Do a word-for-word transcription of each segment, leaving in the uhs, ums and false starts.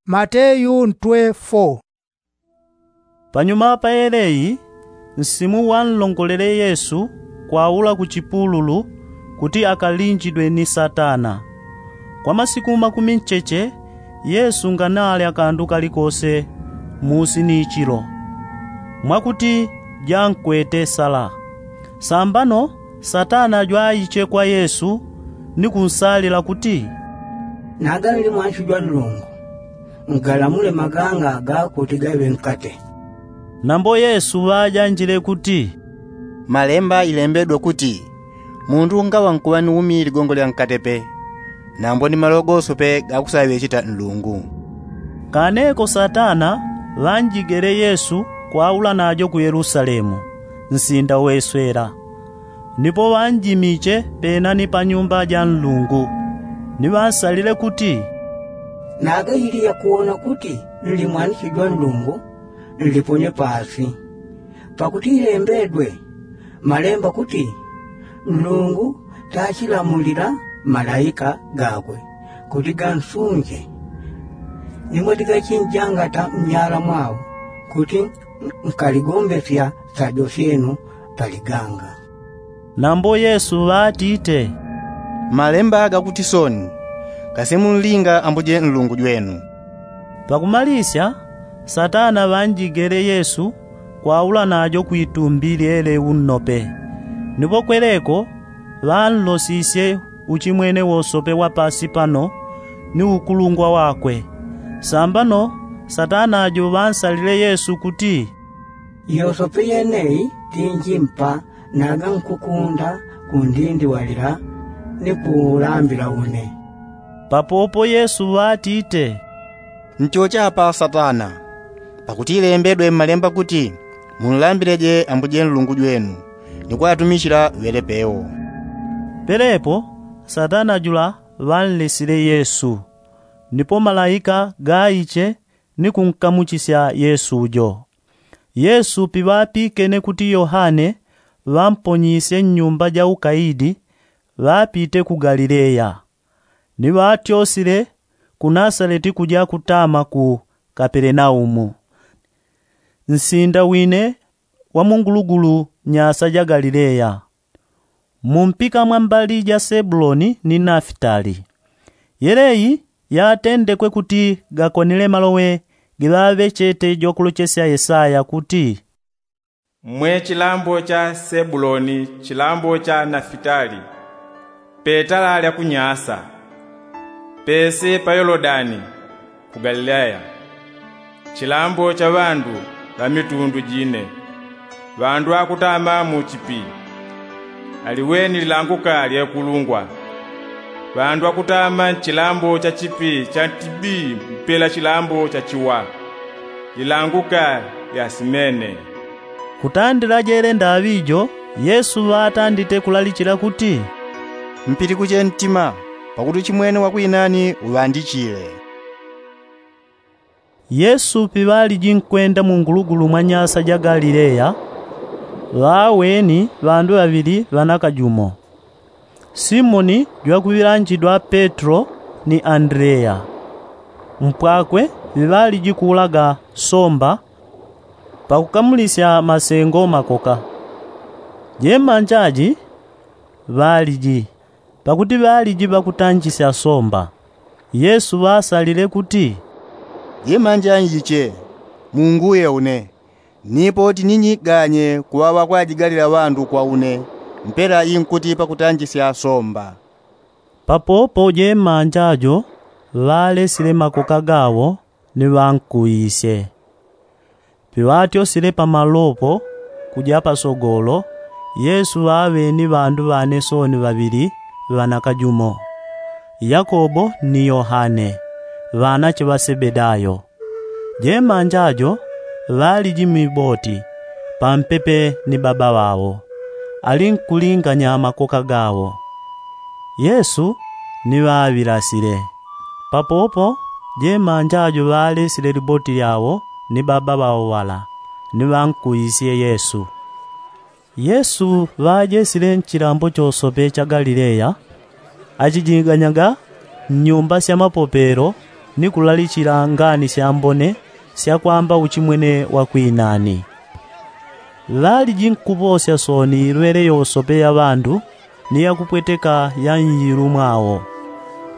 Mateyu ntwe fo. Panyuma pa yeleyi, nsimu wanlongolele yesu kwaula ku chipululu, kuti akalinjidwe ni satana. Kwa masiku makumi ncheche, yesu nganalya kandu kalikose musi ni ichilo, mwakuti jankwete sala. Sambano satana jwaiche kwa yesu, ni kunsalila kuti, naga nli mwanshi jwa nlungu, ngalamule maganga gakuti gaŵe nkate. Nambo yesu ŵajanjile kuti, malemba ilembedwe kuti, mundu ngaŵa nkuŵa ni umi ligongo lya nkate pe, nambo ni malogoso pe gakusaŵecheta nlungu. Kaneko satana ŵanjigele yesu kwaula najo ku yelusalemu, nsinda weswela. Nipo ŵanjimiche penani pa nyumba ja nlungu, ni ŵansalile kuti, naga ili yakuwona kuti nli mwanishi jwa nlungu, nliponye pasi. Pakuti ilembedwe malemba kuti, nlungu tachilamulila malaika gakwe kuti gansunje, nimwe tigachinjangata mnyala mwao, kuti nkaligombesya sajo syenu paliganga. Nambo yesu ŵatite, malemba gakuti soni, kasi munlinga ambuje nlungu jwenu. Pakumalisya, satana ŵanjigele yesu kwaula najo kwitumbi lyele unnope. Nipo kweleko ŵanlosisye uchimwene wosope wa pasi pano, ni ukulungwa wakwe. Sambano satana jo ŵansalile yesu kuti, yosope yeneyi tinjimpa, naga nkukunda kundindiwalila ni kulambila une. Papopo yesu ŵatite, nchochapa satana, pakuti ilembedwe mmalemba kuti, munlambileje ambuje nlungu jwenu, ni kwatumichila ŵele pewo. Pelepo satana jula ŵanlesile yesu, nipo malaika gaiche ni kunkamuchisya yesu jo. Yesu piŵapikene kuti yohane ŵamponyisye nnyumba ja ukaidi, ŵapite ku galileya, ni ŵatyosile ku nasaleti kuja kutama ku kapelenaumu, nsinda wine wa mungulugulu nyasa ja galileya, mumpika mwa mbali ja sebuloni ni nafitali. Yeleyi yatendekwe kuti gakonile maloŵe giŵaŵechete jwakulochesya yesaya kuti, mwe chilambo cha sebuloni, chilambo cha nafitali, petala lya kunyasa, pese pa yolodani ku galileya, chilambo cha ŵandu ŵa mitundu jine, ŵandu akutama mu chipi, aliweni lilanguka lya kulungwa. Ŵandu akutama nchilambo cha chipi cha ntibi mpela chilambo cha chiwa, lilanguka lya simene. Kutandila jele ndaŵi jo, yesu ŵatandite kulalichila kuti, mpitikuche ntima, pakuti uchimwene wa kwinani uŵandichile. Yesu piŵaliji nkwenda mungulugulu mwa nyasa ja galileya, ŵaweni ŵandu ŵaŵili ŵanakajumo, simoni jwakuŵilanjidwa petro, ni andreya. Mpwakwe ŵiŵaliji kuulaga somba, pakukamulisya masengo makoka. Jemanja ji ŵaliji, pakuti ŵaliji ŵakutanjisya somba. Yesu ŵasalile kuti, jemanja nyiche, munguye une, nipo tininyi ganye kuŵaŵa kwajigalila ŵandu kwa une, mpela inkuti pakutanjisya somba. Papopo jemanja jo ŵalesile makoka gawo, ni ŵankuisye. Piŵatyosile pamalopo kuja pasogolo, yesu ŵaŵeni ŵandu ŵane sooni ŵaŵili ŵanakajumo, yakobo ni yohane, ŵanache ŵa sebedayo. Jemanja jo ŵaliji miboti, pampepe ni baba ŵawo, ali nkulinganya makoka gawo. Yesu ni ŵaŵilasile. Papopo jemanja jo ŵalesile liboti lyawo ni baba ŵawo ŵala, ni ŵankuisye yesu. Yesu ŵajesile nchilambo chosope cha galileya, achijiganyaga nnyumba sya mapopelo, ni kulalichila ngani syambone syakwamba uchimwene wa kwinani. Ŵaliji nkuŵosya sooni ilwele yosope ya ŵandu ni yakupweteka ya nyilu mwawo.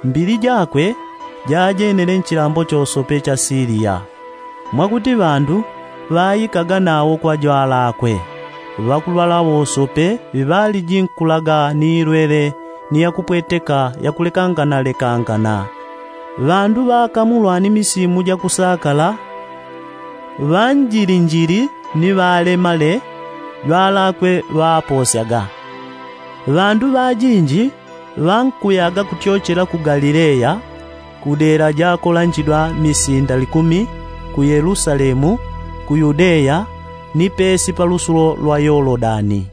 Mbili jakwe jajenele nchilambo chosope cha siliya, mwakuti ŵandu ŵaikaga nawo kwa jwalakwe. Ŵakulwala wosope ŵiŵaliji nkulaga ni ilwele ni yakupweteka yakulekanganalekangana. Ŵandu ŵakamulwa ni misimu jakusakala, ŵanjilinjili ni ŵalemale jwalakwe ŵaposyaga. Ŵandu ŵajinji ŵankuyaga kutyochela ku galileya, ku dela jakolanjidwa misinda likumi, ku yelusalemu, ku yudeya, ni pesi pa lusulo lwa yolodani.